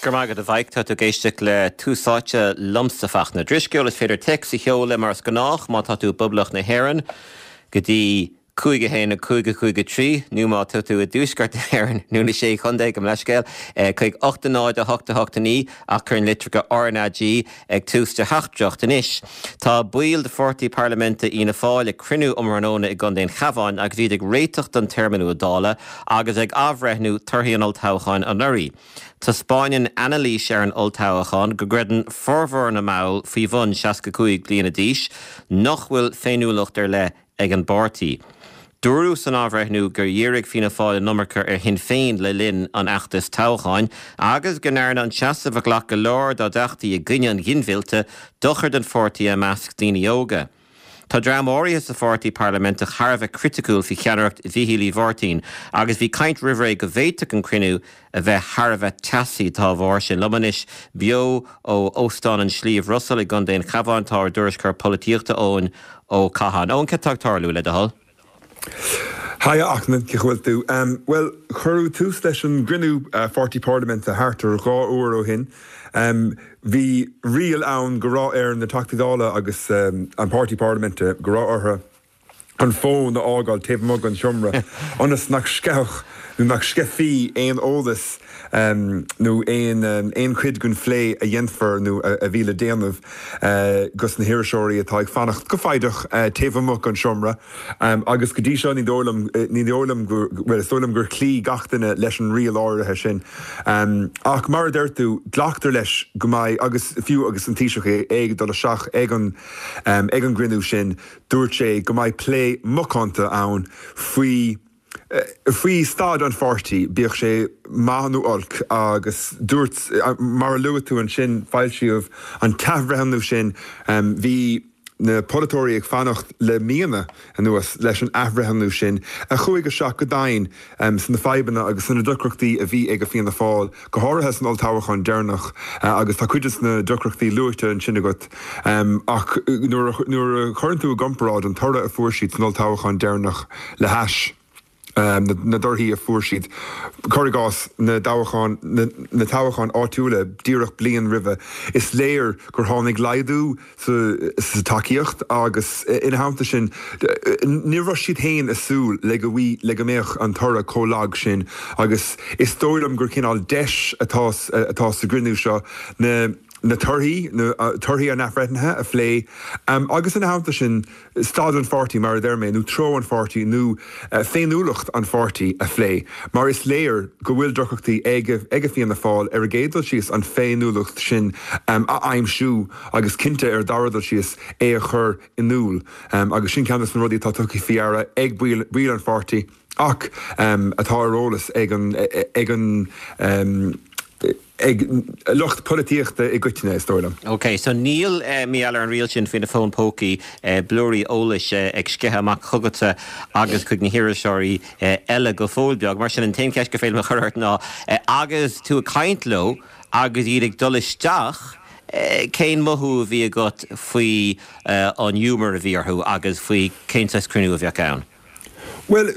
Go raibh maith agat a Mhaidhc. Tá tú ag éisteacht le Tús Áite liomsa Fachtna Drisceoil. Is féidir téacs a sheoladh mar is gnách má tá tú i bPoblacht na hÉireann go dtí 5 1 5 5 3 nó má tá tú i dTuaisceart na hÉireann nó na Sé Chontae, gabh mo leithscéal, chuig 8 0 8 8 9 ach cuir an litreacha RnaG ag tús do theachtaireacht. Anois, tá baill de pháirtí parlaiminte Fhianna Fáil ag cruinniú um thráthnóna i gContae an Chabháin agus iad ag réiteach don téarma nua Dála agus ag athbhreithniú torthaí an olltoghcháin anuraidh. Taispeáineann anailís ar an olltoghchán go gcreideann formhór na mball faoi bhun 65 bliana d'aois nach bhfuil féiniúlacht ar leith ag an bpáirtí. Dúradh san athbhreithniú gur dhírigh Fianna Fáil an iomarca ar Shinn Féin le linn an fheachtais toghcháin agus go ndearna an seasamh a ghlac go leor dá dteachtaí i gcoinne an ghinmhillte dochar don pháirtí i measc daoine óga. Tá dream áirithe sa pháirtí parlaiminteach thar a bheith criticiúil faoi cheannaireacht Mhíchíl Uí Mháirtín agus bhí caint roimh ré go bhféadfadh an cruinniú a bheith thar a bheith teasaí dá bharr sin. Liom anois beo ó Óstán an Sliabh Russell i gContae an Chabháin tá ár dtuairisceoir polaitíochta Eoin Ó Catháin. Eoin, cad tá ag tarlú, le do thoil? Haigh a Fhachtna, cén chaoi a bhfuil tú? Bhuel, cuireadh tús leis an gcruinniú pháirtí parlaiminte thart ar 2 uair ó shin. Bhí riail ann go raibh ar na Teachtaí Dála agus an páirtí parlaiminte, go raibh orthu, an fón a fhágáil taobh amuigh den seomra ionas nach sceithfeadh nó nach sceithfí aon eolas nó aon chuid den phlé a dhéanfar nó a bhí le déanamh dos na hiriseoirí atá ag fanacht go foighdeach taobh amuigh den seomra. Agus go dtí seo ní dóigh liom, ní dóigh liom go, bhuel is dóigh liom gur chloígh gach duine leis an riail áirithe sin. Ach mar a deir tú, glactar leis go mbeidh, agus fiú agus an Taoiseach é ag dul isteach ag an ag an gcruinniú sin, Dúirt sé go mbeidh plé macánta ann faoi faoi staid an pháirtí, bíodh sé maith nó olc, agus dúirt, mar a luaigh tú ansin, foilsíodh an t-athbhreithniú sin, bhí na polaiteoirí ag fanacht le míonna anuas leis an athbhreithniú sin a chuaigh isteach go domhain sna fadhbanna agus sna deacrachtaí a bhí ag Fianna Fáil, go háirithe san olltoghchán deireanach, agus tá cuid de na deacrachtaí luaite ansin agat. Ach nuair a chuireann tú i gcomparáid an toradh a fuair siad san olltoghchán deireanach le hais na dtorthaí a fuair siad, cuir i gcás, na dtoghcháin, na toghcháin áitiúla díreach bliain roimhe, is léir gur tháinig laghdú sa tacaíocht agus ina theannta sin ní raibh siad féin ag súil le go le go mbeadh an toradh chomh lag sin agus is dóigh liom gur cineál deis atá atá sa gcruinniú seo na na torthaí na torthaí an athbhreithnithe a phlé agus ina theannta sin staid an pháirtí, mar a deir mé, nó treo an pháirtí nó féiniúlacht an pháirtí a phlé, mar is léir go bhfuil deacrachtaí ag ag Fianna Fáil ar an gcéad dul síos an féiniúlacht sin a aimsiú agus cinnte ar an dara dul síos é a chur in iúl agus sin ceann de na rudaí atá tugtha faoi deara ag baill an pháirtí ach atá ar eolas ag an ag an ag lucht polaitíochta i gcoitinne, is dóigh liom. Ok, so níl, mar gheall ar an riail sin faoi na fóin pócaí, blúirí eolais ag sceitheadh amach chugatsa agus chuig na hiriseoirí eile go fóill beag. Mar sin, an t-aon cheist gur féidir liom a chur ort ná, agus tú ag caint leo agus iad ag dul isteach, cén mothú a bhí agat faoi an ghiúmar a bhí orthu agus faoi cén saghas cruinniú a bheadh ann? Bhuel,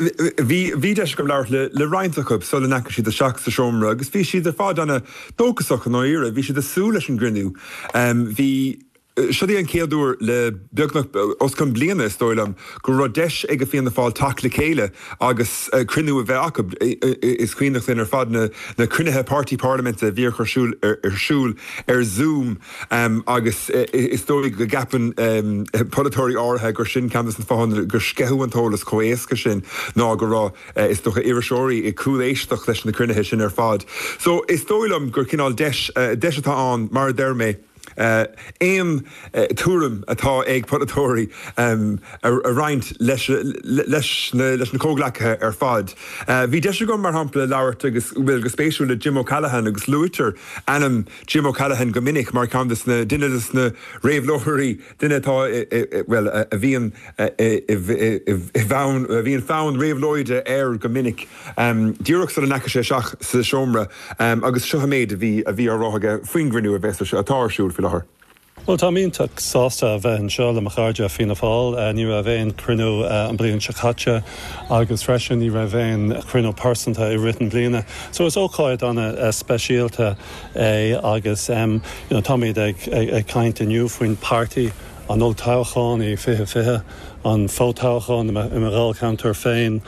bhí, bhí deis agam labhairt le, le roinnt acu sula ndeachaigh siad isteach sa seomra agus bhí siad ar fad ana-dóchasach i ndáiríre. Bhí siad ag súil leis an gcruinniú. Bhí, seo í an chéad uair le beagnach, os cionn bliana is dóigh liom, go raibh deis ag Fianna Fáil teacht le chéile agus cruinniú a bheith acu. Is cuimhneach linn ar fad na, na cruinnithe páirtí parlaiminte a bhíodh ar siúl, ar siúl ar Zoom. Agus is dóigh go gceapann polaiteoirí áirithe gur sin ceann de na fáthanna gur sceitheadh an t-eolas chomh héasca sin ná go raibh, is dócha, iriseoirí ag cúléisteacht leis na cruinnithe sin ar fad. So is dóigh liom gur cineál deis, deis atá ann, mar a deir mé, aon tuairim atá ag polaiteoirí a roinnt leis leis na comhghleacaithe ar fad. Bhí deis agam, mar shampla, labhairt agus, bhuel, go spéisiúil le Jim O'Callaghan agus luaitear ainm Jim O'Callaghan go minic mar cheann de na, duine de na réabhlóirí, duine atá i, bhuel, a bhíonn i bhfonn, a bhíonn fonn réabhlóide air go minic. Díreach sula ndeachaigh sé isteach sa seomra agus seo an méid a bhí, a bhí á rá aige faoin gcruinniú a bheas ar, atá ar siúl faoi láthair. Bhuel, táim iontach sásta a bheith anseo le mo chairde Fianna Fáil. Ní raibh aon chruinniú an bliain seo caite agus freisin ní raibh aon chruinniú pearsanta i rith an bliana. So is ócáid an-speisialta é agus you know táimid ag ag caint inniu faoin páirtí, an olltoghchán i 2020, an fho-toghchán i mo dháilcheantar féin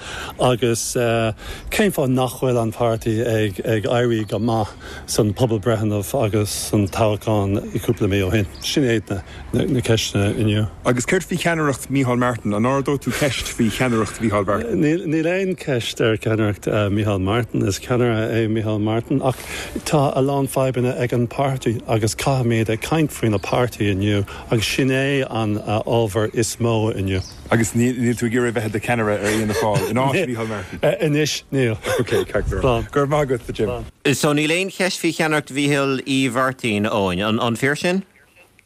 agus cén fáth nach bhfuil an páirtí ag ag éirí go maith san pobalbreitheanna agus san toghchán cúpla mí ó shin. Sin iad na ceisteanna inniu. Agus céard faoi cheannaireacht Micheál Martin? An ardóidh tú ceist faoi cheannaireacht Mhícheál Mhartin? Níl aon cheist ar cheannaireacht Micheál Martin. Is ceannaire é Micheál Martin ach tá a lán fadhbanna ag an páirtí agus caithfimid ag caint faoina páirtí inniu agus sin é an ábhar is mó inniu. Agus níl tú ag iarraidh a bheith i do cheannaire ar Fhianna Fáil in áit Mhícheál Martin? Anois, níl. Ok, ceart go leor. Go raibh maith agat, a Jim. So níl aon cheist faoi cheannaireacht Mhíchíl Uí Mhairtín, Eoin. An fíor sin?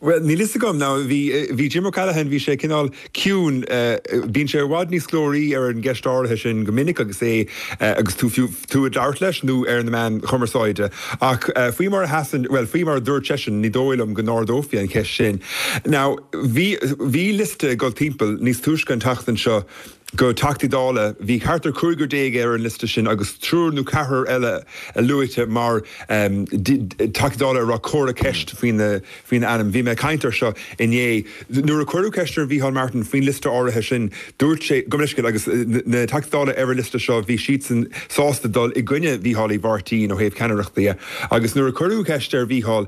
Bhuel, níl fhios agam. Now, bhí, bhí Jim O'Callaghan, bhí sé cineál ciúin, bíonn sé i bhfad níos glóraí ar an gceist áirithe sin go minic agus é, agus tú fiú, tú ag labhairt leis nó ar na meáin chumarsáide. Ach faoi mar a sheasann, bhuel, faoi mar a dúirt seisean, ní dóigh liom go n-ardófaí an cheist sin. Now, bhí, bhí liosta ag dul timpeall níos túisce an tseachtain seo go Teachtaí Dála, bhí thart ar chúigear déag ar an liosta sin agus triúr nó ceathrar eile luaite mar Teachtaí Dála a raibh comhartha ceist faoina ainm. Bhí mé ag caint air seo inné. Nuair a cuireadh ceist ar Mhícheál Martin faoin liosta áirithe sin, dúirt sé, gabh mo leithscéal, agus na Teachtaí Dála ar an liosta seo, bhí siadsan sásta dul i gcoinne Mhícheál Uí Mhairtín ó thaobh ceannaireachta dhe. Agus nuair a cuireadh ceist ar Mhícheál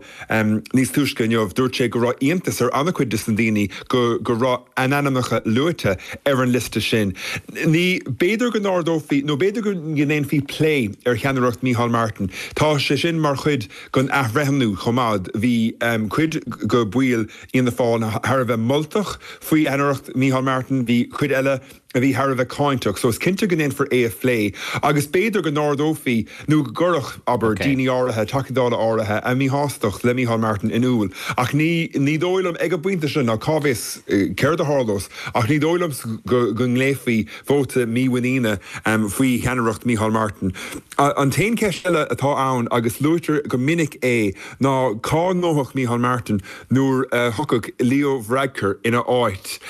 níos túisce inniu, dúirt sé go raibh iontas ar an-chuid de na daoine go go raibh a n-ainmneacha luaite ar an liosta sin. Ní, b'fhéidir go n-ardófaí, nó b'fhéidir go ndéanfaí plé ar cheannaireacht Mícheál Martin. Tá sé sin mar chuid den athbhreithniú chomh maith. Bhí cuid de bhaill Fhianna Fáil thar a bheith moltach faoi cheannaireacht Mícheál Martin, bhí cuid eile a bhí thar a bheith cáinteach. So is cinnte go ndéanfar é a phlé agus b'fhéidir go n-ardófaí nó go gcuirfeadh, abair, daoine áirithe, Teachtaí Dála áirithe, a míshástacht le Mícheál Martin in iúl. Ach ní, ní dóigh liom ag an bpointe seo, ná cá bhfios céard a tharlós, ach ní dóigh liom go, go nglaofaí vóta mímhuiníne faoi cheannaireacht Mícheál Martin. An t-aon cheist eile atá ann, agus luaitear go minic é, ná cá ngabhfadh Mícheál Martin nuair a thiocfadh Leo Varadkar ina áit.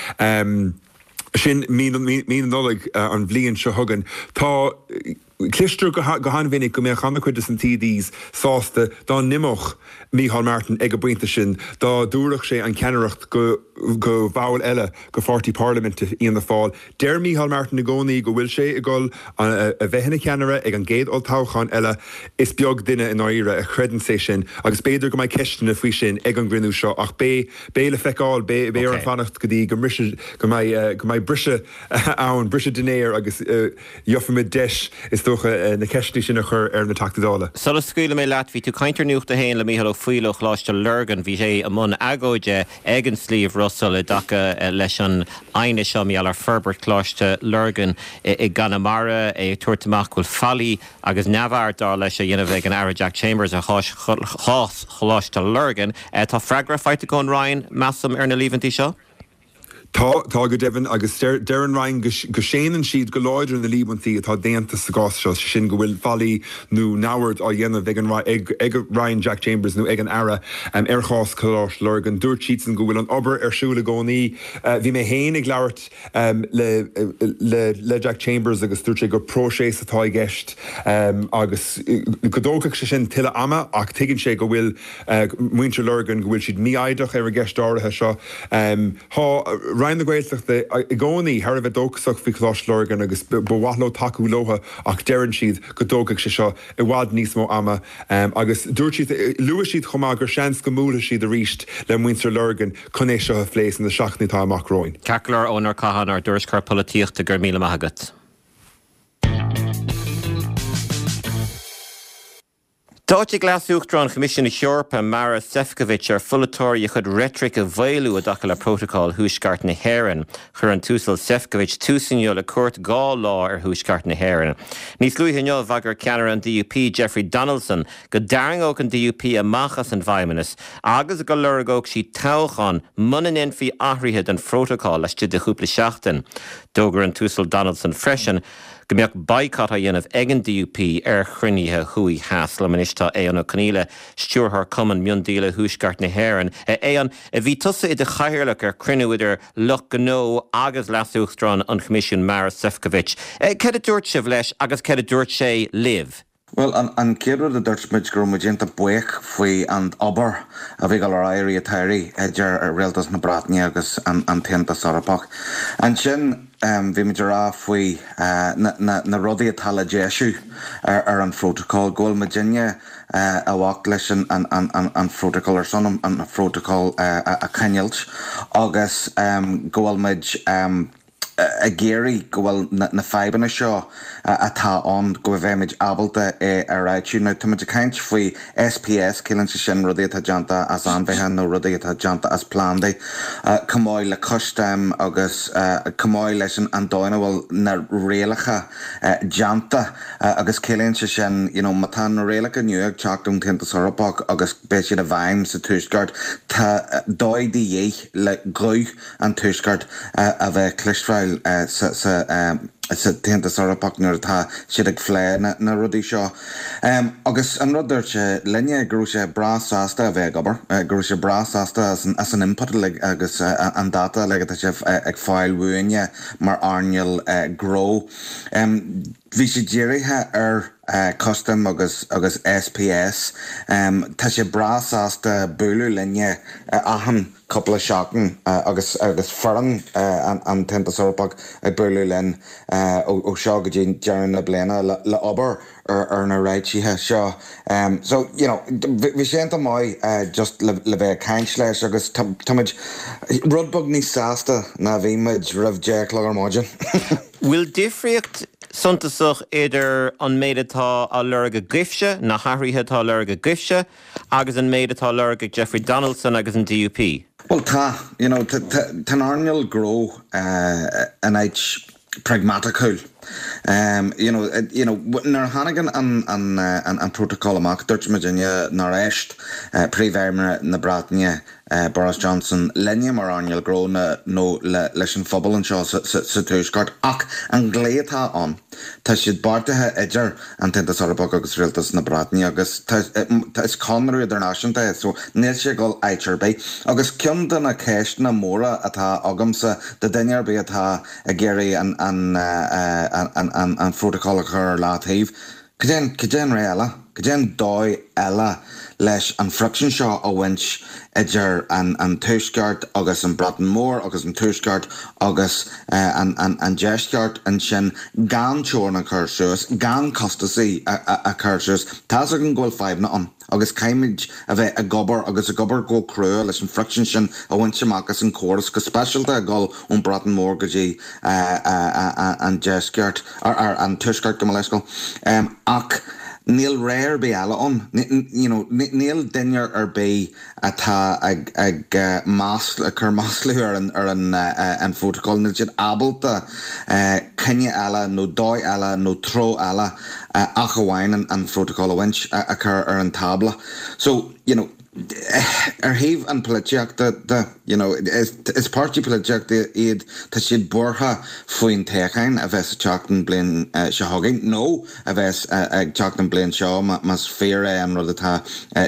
Sin mí na Nollag an bhliain seo chugainn. Tá, cloistear go han-mhinic go mbeadh an-chuid de na TDs sásta dá n-imeodh Micheál Martin ag an bpointe sin, dá dtabharfadh sé an cheannaireacht go go bhall eile de pháirtí parlaiminte Fhianna Fáil. Deir Micheál Martin i gcónaí go bhfuil sé ag dul a bheith ina cheannaire ag an gcéad olltoghchán eile. Is beag duine i ndáiríre a chreideanns é sin agus b'fhéidir go mbeidh ceisteanna faoi sin ag an gcruinniú seo ach beidh Beidh le feiceáil, beidh orainn fanacht go dtí go mbrisfidh, go mbeidh, go mbeidh briseadh ann, briseadh dinnéir agus gheobhaimid deis, is dócha, na ceisteanna sin a chur ar na Teachtaí Dála. Sula scaoilfidh mé leat, bhí tú ag caint ar Nuacht a hAon le Mícheál Ó Foighil ó Choláiste Lurgan. Bhí sé i mbun agóide ag an Sliabh Russell i dtaca leis an aighneas seo mar gheall ar forbairt Choláiste Lurgan i gConamara, é ag tabhairt amach go bhfuil faillí agus neamhaird, dar leis, á dhéanamh ag an Aire Jack Chambers ar chás Choláiste Lurgan. Tá freagra faighte ón Roinn, measaim, ar na líomhaintí seo? Tá, tá go deimhin, agus deir an Roinn go séanann siad go láidir na líomhaintí atá déanta sa gcás seo, sé sin go bhfuil faillí nó neamhaird á dhéanamh ag an ag Roinn Jack Chambers nó ag an Aire ar chás Choláiste Lurgan. Dúirt siadsan go bhfuil an obair ar siúl i gcónaí. Bhí mé féin ag labhairt le le Jack Chambers agus dúirt sé gur próiseas atá i gceist agus go dtógfadh sé sin tuilleadh ama ach tuigeann sé go bhfuil muintir Lurgan, go bhfuil siad mífhoighdeach ar an gceist áirithe seo. Tá Roinn na Gaeltachta i gcónaí thar a bheith dóchasach faoi Choláiste Lurgan agus ba mhaith leo tacú leo ach deireann siad go dtógfaidh sé seo i bhfad níos mó ama agus dúirt siad, luaigh siad chomh maith gur seans go mbuailfidh siad arís le muintir Lurgan chun é seo a phlé sna seachtainí atá amach romhainn. Ceart go leor, Eoin Ó Catháin, ár dtuairisceoir polaitíochta, go raibh míle maith agat. D'áitigh Leas-Uachtarán Choimisiún na hEorpa, Maros Sefcovic, ar pholaiteoirí a chuid reitric a mhaolú i dtaca le Prótacal Thuaisceart na hÉireann. Chuir an tUasal Sefcovic tús inniu le cuairt 2 lá ar Thuaisceart na hÉireann. Níos luaithe inniu, bhagair ceannaire an DUP, Jeffrey Donaldson, go dtarraingeodh an DUP amach as an bhFeidhmeannas agus go lorgódh siad toghchán muna ndéanfaí athruithe don phrótacal laistigh de chúpla seachtain. D'fhógair an tUasal Donaldson freisin. go mbeadh boycott á dhéanamh ag an DUP ar chruinnithe thuaidh theas. Liom anois tá Aodhán Ó Conghaile, Stiúrthóir Cumann Miondíola Thuaisceart na hÉireann. A Aodháin, bhí tusa i do chathaoirleach ar chruinniú idir lucht gnó agus Leas-Uachtarán an Choimisiúin Maros Sefcovic. Céard a dúirt sibh leis agus céard a dúirt sé libh? Bhuel, an chéad rud a dúirt muid go raibh muid iontach buíoch faoi an obair a bhí ag dul ar aghaidh i rith an tsamhraidh idir Rialtas na Breataine agus an tAontas Eorpach. Ansin bhí muid ag rá faoi na rudaí atá le deisiú ar an phrótacal, go bhfuil muidinne i bhfách leis an phrótacal, ar son an phrótacal a choinneáilt agus go bhfuil muid. ag iarraidh go bhfuil na fadhbanna seo atá ann, go mbeimid ábalta é a réitiú. Now tá muid ag caint faoi SPS, ciallaíonn sé sin rudaí atá déanta as ainmhithe nó rudaí atá déanta as plandaí, chomh maith le custaim agus chomh maith leis an dóigh ina bhfuil na rialacha déanta agus ciallaíonn sé sin, you know, má tá na rialacha nua ag teacht ón tAontas Eorpach agus beidh siad i bhfeidhm sa Tuaisceart, tá dóigh de dhíth le guth an Tuaisceart a bheith cloisteáil sa tAontas Eorpach nuair atá siad ag phlé na rudaí seo. Agus an rud dúirt sé linne go raibh sé breá sásta a bheith ag obair, go raibh sé breá sásta as an input uilig agus an data uilig atá sé ag fáil uainne mar earnáil gnó. Bhí sé dírithe ar custaim agus agus SPS. Tá sé breá sásta bualadh linne achan cúpla seachtain agus agus foireann an tAontas Eorpach ag bualadh linn ó seo go dtí deireadh na bliana le obair ar na réitithe seo. So, you know, bhí sé iontach maith just le bheith ag caint leis agus táimid rud beag níos sásta ná bhí muid roimh 10 a chlog ar maidin. Bhfuil difríocht suntasach idir an méid atá á lorg agaibhse, na hathruithe atá á lorg agaibhse, agus an méid atá á lorg ag Jeffrey Donaldson agus an DUP? Bhuel tá, you know, tá an earnáil gnó in áit pragmaticiúil. You know, you know, nuair a tháinig an, an, an prótacal amach, dúirt muidinne nár éist Príomh-Aire na Breataine Boris Johnson linne mar earnáil gnó nó leis an phobal anseo sa Tuaisceart ach an dlí atá ann, tá siad beartaithe idir an tAontas Eorpach agus Rialtas na Breataine agus is conradh idirnáisiúnta é so níl sé ag dul áit ar bith. Agus ceann de na ceisteanna móra atá agamsa do duine ar bith atá ag iarraidh an phrótacal a chur ar leataobh, Cad é, cad é an rogha eile? Cad é an dóigh eile leis an friction seo a bhaint idir an an Tuaisceart agus an Breatain Mhór agus an Tuaisceart agus an an an Deisceart ansin gan teorainn a chur suas, gan costasaí a a chur suas? Tá's againn go bhfuil fadhbanna ann agus caithfimid a bheith ag obair agus ag obair go crua leis an friction sin a bhaint amach as an chóras, go speisialta ag dul ón Breatain Mhór go dtí an Deisceart, ar an Tuaisceart, gabh mo leithscéal. Ach níl rogha ar bith eile ann. You know, níl duine ar bith atá ag ag ag cur maslú ar an ar an an phrótacal, níl siad ábalta coinne eile nó dóigh eile nó treo eile ach amháin an phrótacal a bhaint, a chur ar an tábla. So, you know, Ar thaobh an polaitíochta de, you know, is páirtí polaitíochta iad, tá siad buartha faoin toghchán a bheas ag teacht an bliain seo chugainn, nó a bheas ag teacht an bliain seo más fíor é an rud atá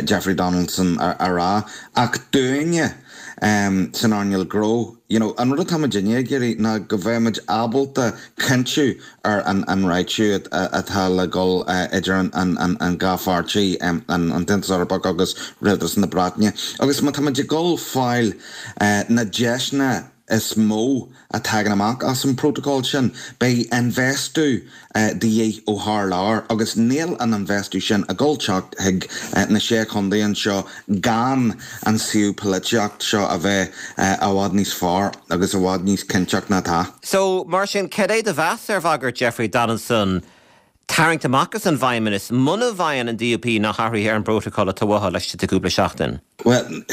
Jeffrey Donaldson a rá. Ach dúinne san earnáil gnó, you know, an rud atá muidinne ag iarraidh ná go mbeidh muid ábalta cinntiú ar an réitiú atá le dhul idir an dhá pháirtí, an tAontas Eorpach agus Rialtas na Breataine. Agus má tá muid ag dul fáil na deiseanna is mó a tagann amach as an bprótacal sin, beidh infheistiú de dhíth ó thar lear agus níl an infheistiú sin ag dul teacht chuig na sé chontae anseo gan an suíomh polaitíocht seo a bheith i bhfad níos fearr agus i bhfad níos cinnteach ná atá. So, mar sin, cad é do mheas ar bhagairt Jeffrey Donaldson tarraingt amach as an bhFeidhmeannas muna bhfaigheann an DUP na hathruithe ar an bprótacal atá uathu laistigh de chúpla seachtain? Bhuel,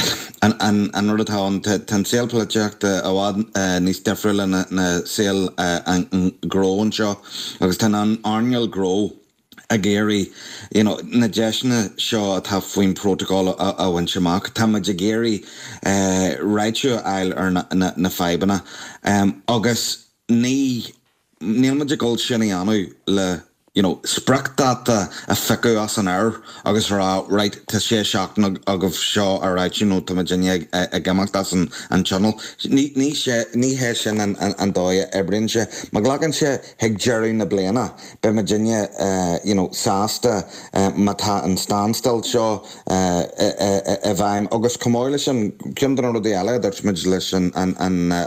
an rud atá ann, tá an saol polaitíochta i bhfad níos difriúla ná saol an ghnó anseo agus tá an earnáil ghnó ag iarraidh you know na deiseanna seo atá faoin bprótacal a bhaint amach. Tá muid ag iarraidh réitiú a fháil ar na fadhbanna agus ní. Níl muid ag dul sin a dhéanamh le you know spriocdháta a phiocadh as an aer agus a rá right tá sé seachtain agaibh seo a réitiú nó tá muidinne ag imeacht as an an tionól. Ní ní sé ní hé sin an an dóigh a oibríonn sé. Má ghlacann sé chuig deireadh na bliana beidh muidinne you know sásta má tá an standstill seo i bhfeidhm. Agus chomh maith leis sin, ceann de na rudaí eile a dúirt muid leis an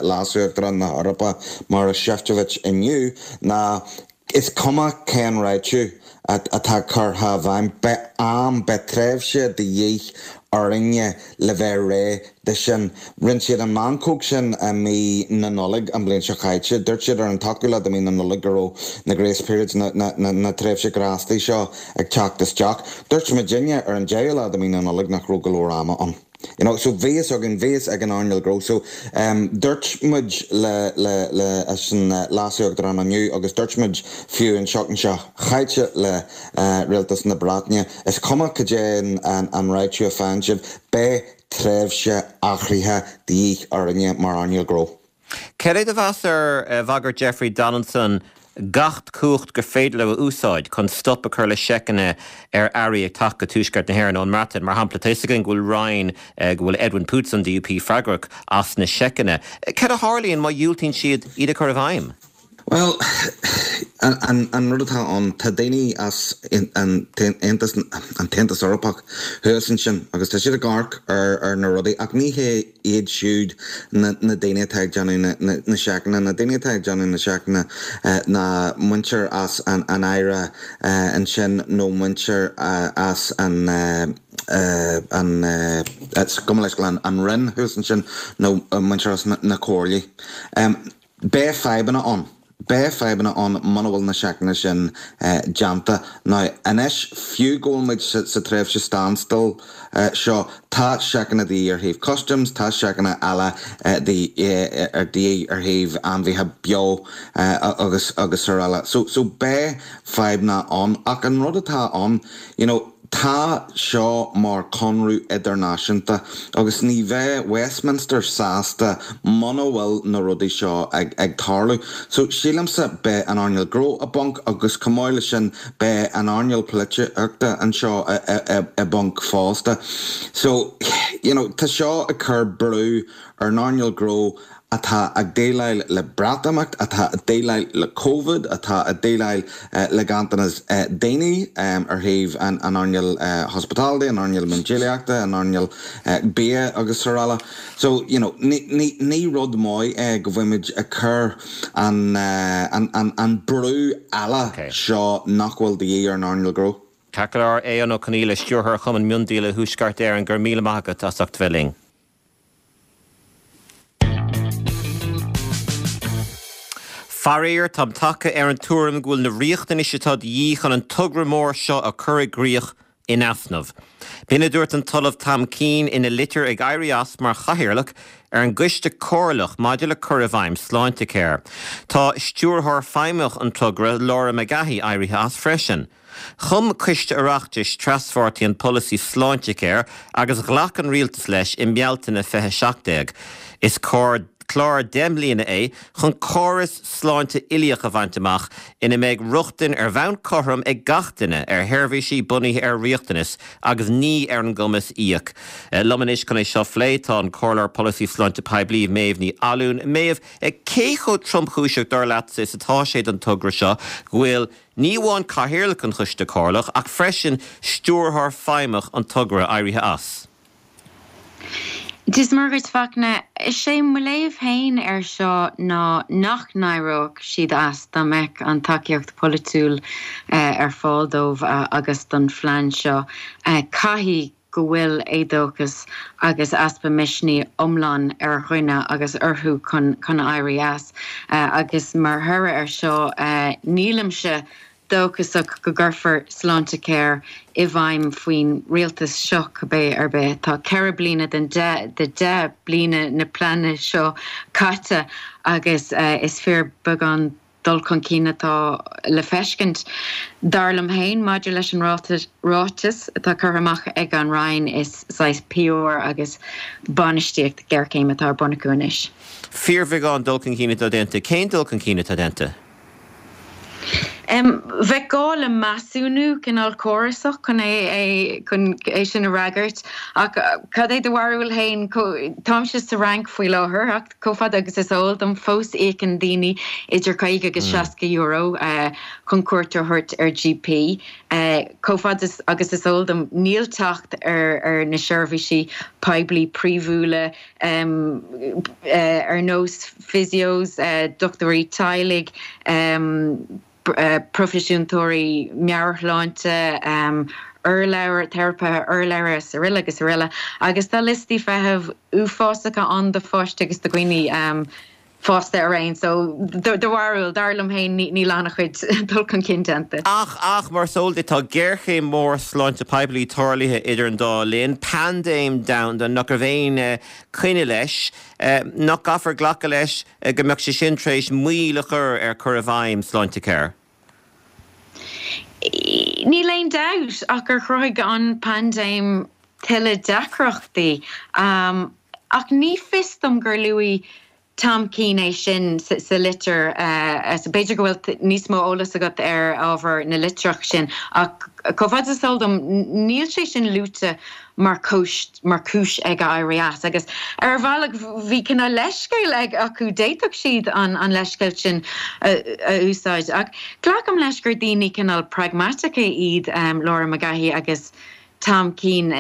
Leas-Uachtarán na hEorpa, Maroš Šefčovič inniu ná is cuma cén réitiú atá curtha i bhfeidhm, beidh am, beidh tréimhse de dhíth orainne le bheith réidh de sin. Rinne siad an mheancóg sin i mí na Nollag an bhliain seo caite. Dúirt siad ar an t-ochtú lá de mí na Nollag go raibh na grace periods, na tréimhse grástaí seo ag teacht isteach. Dúirt muidinne ar an deichiú lá de mí na Nollag nach raibh go leor ama ann. You know, so bhí fhios againn, bhí fhios ag an earnáil gnó. So dúirt muid le, le, leis an Leas-Uachtarán inniu agus dúirt muid fiú an tseachtain seo chaite le Rialtas na Breataine, is cuma cad é an réitiú a faigheann sibh, beidh tréimhse athraithe de dhíth orainne mar earnáil gnó. Cad é do mheas ar bhagairt Jeffrey Donaldson gach cumhacht gur féidir leo a úsáid chun stop a chur le seiceanna ar earraí ag teacht go Tuaisceart na hÉireann ón mBreatain? Mar shampla, tá fhios againn go bhfuil roinn, go bhfuil Edwin Poots an DUP freagrach as na seiceanna. Cad a tharlaíonn má dhiúltaíonn siad iad a chur i bhfeidhm? Bhuel, an rud atá ann, tá daoine as an tAontas, an tAontas Eorpach thuas ansin agus tá siad ag amharc ar na rudaí ach ní hé iad siúd na daoine atá ag déanamh na seiceanna. Na daoine atá ag déanamh na seiceanna ná muintir as an Aire ansin nó muintir as an an gabh mo leithscéal an Roinn thuas ansin nó muintir as na comhairlí. Beidh fadhbanna ann. Beidh fadhbanna ann muna bhfuil na seiceanna sin déanta. Now, anois, fiú go bhfuil muid sa tréimhse standstill seo, tá seiceanna de dhíth ar thaobh customs, tá seiceanna eile de dhíth ar thaobh ainmhithe beo agus agus araile. So, so beidh fadhbanna ann. Ach an rud atá ann, you know, Tá seo mar conradh idirnáisiúnta agus ní bheidh Westminster sásta muna bhfuil na rudaí seo ag tarlú. So sílimse beidh an earnáil gnó i bponc agus chomh maith leis sin beidh an earnáil polaitíochta anseo i bponc fosta. So you know tá seo ag cur brú ar an earnáil gnó atá ag déileáil le Breatimeacht, atá ag déileáil le Covid, atá ag déileáil le ganntanas daoine ar thaobh an earnáil hospitality, an earnáil miondíolaíochta, an earnáil bia agus araile. So, you know, ní rud maith é go bhfuilimid ag cur an an brú eile seo nach bhfuil de dhíth ar an earnáil gnó. Ceart go leor, Aodhán Ó Conghaile, Stiúrthóir Chumann Miondíola Thuaisceart Éireann, go raibh míle maith agat as ucht bheith linn. Faraor, táim tagtha ar an tuairim go bhfuil na riachtanais atá de dhíth chun an togra mór seo a chur i gcrích in easnamh. B'in a dúirt an tOllamh Tom Keane ina litir ag éirí as mar chathaoirleach ar an gCoiste Comhairleach maidir le cur i bhfeidhm Sláintecare. Tá Stiúrthóir Feidhmeach an togra, Laura McGahey, éirithe as freisin. Chum Coiste Oireachtais traspháirtí an polasaí Sláintecare agus ghlac an Rialtas leis i mBealtaine 2017. Is clár 10 mbliana é chun córas sláinte uilíoch a bhaint amach ina mbeidh rochtain ar bhonn cothrom ag gach duine ar sheirbhísí bunaithe ar riachtanas agus ní ar an gcumas íoc. Liom anois chun é seo a phlé tá an Comhairleoir Polasaí Sláinte Poiblí, Méabh Ní Fhallúin. Méabh, cé chomh tromchúiseach dar leatsa is atá sé don togra seo go bhfuil Ní amháin Cathaoirleach an Choiste Comhairleach ach freisin Stiúrthóir Feidhmeach an togra éirithe as. Dia is Muire dhuit, Fachtna. Is é mo léamh féin air seo ná nach n-éireodh siad as dá mbeadh an tacaíocht pholaitiúil ar fáil dóibh agus don phlean seo. Caithfidh go bhfuil éadóchas agus easpa misnigh iomlán ar dhuine agus orthu chun chun éirí as. Agus mar thoradh air seo, nílimse dóchasach go gcuirfear Sláintecare i bhfeidhm faoin rialtas seo cibé ar bith. Tá 4 bliana den de 10 bliana na pleana seo caite agus is fíorbheagán dul chun cinn atá le feiscint. Dar liom féin, maidir leis an ráiteas atá curtha amach ag an Roinn, is saghas PR agus bainistíocht géarchéime atá ar bun acu anois. Fíorbheagán dul chun cinn atá déanta. Cén dul chun cinn atá déanta? Bheadh gá le measúnú cineál córasach chun é chun é sin a fhreagairt. Ach cad é do bharúil féin? Táimse sa Fhrainc faoi láthair ach chomh fada agus is eol dom fós íocann daoine idir 50 agus 60 euro chun cuairt a thabhairt ar GP. Chomh fada agus is eol dom níl teacht ar na seirbhísí poiblí príomhúla ar nós physios, dochtúirí teaghlaigh, proifisiúntóirí meabhairshláinte, urlabhra, teiripithe urlabhra srl. agus srl. Agus tá liostaí feithimh uafásacha ann do pháistí agus do dhaoine fásta araon. So, do bharúil, dar liom féin, níl an-chuid dul chun cinn déanta. Ach, ach, mar is eol duit, tá géarchéim mhór sláinte poiblí tarlaithe idir an dá linn, paindéim domhanda nach raibh aon coinne leis. Nach gcaithfear glacadh leis go mbeadh sé sin tar éis moill a chur ar chur i bhfeidhm Sláintecare? Níl aon dabht ach gur chruthaigh an paindéim tuilleadh deacrachtaí. Ach ní fios dom gur luaigh Tom Keane é sin sa litir. B'fhéidir go bhfuil níos mó eolas agat ar ábhar na litreach sin, ach chomh fada is eol dom, níl sé sin luaite mar chúis mar chúis ag éirí as. Agus ar bhealach bhí cineál leithscéal ag acu, d'fhéadfadh siad an an leithscéal sin a úsáid. Ach glacaim leis gur daoine cineál pragmatacha iad Laura McGahey agus Tom Keane.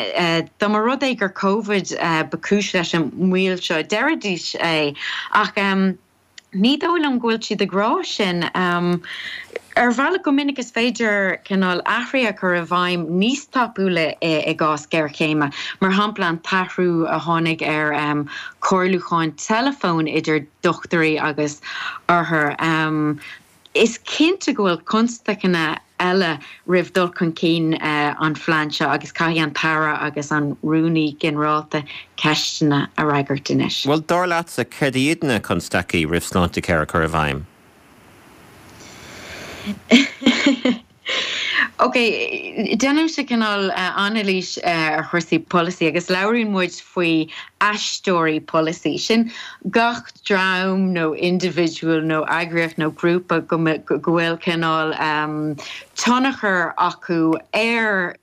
Dá mba rud é gur Covid ba chúis leis an moill seo, déarfaidís é. Ach ní dóigh liom go bhfuil siad ag rá sin. Ar bhealach, go minic is féidir cineál athruithe a chur i bhfeidhm níos tapúla i gcás géarchéime. Mar shampla, an t-athrú a tháinig ar chomhairliúcháin teileafóin idir dochtúirí agus othair. Is cinnte go bhfuil constaiceanna eile roimh dul chun cinn an phlean seo agus caithfidh an tAire agus an Rúnaí Ginearálta ceisteanna a fhreagairt anois. Bhuel, dar leatsa, céard iad na constaicí roimh Sláintecare a chur i bhfeidhm? Ok, déanaimse cineál anailís ar chúrsaí polasaí agus labhraíonn muid faoi aisteoirí polasaí. Sin gach dream nó indibhidiúil nó eagraíocht nó grúpa go bhfuil cineál tionchar acu ar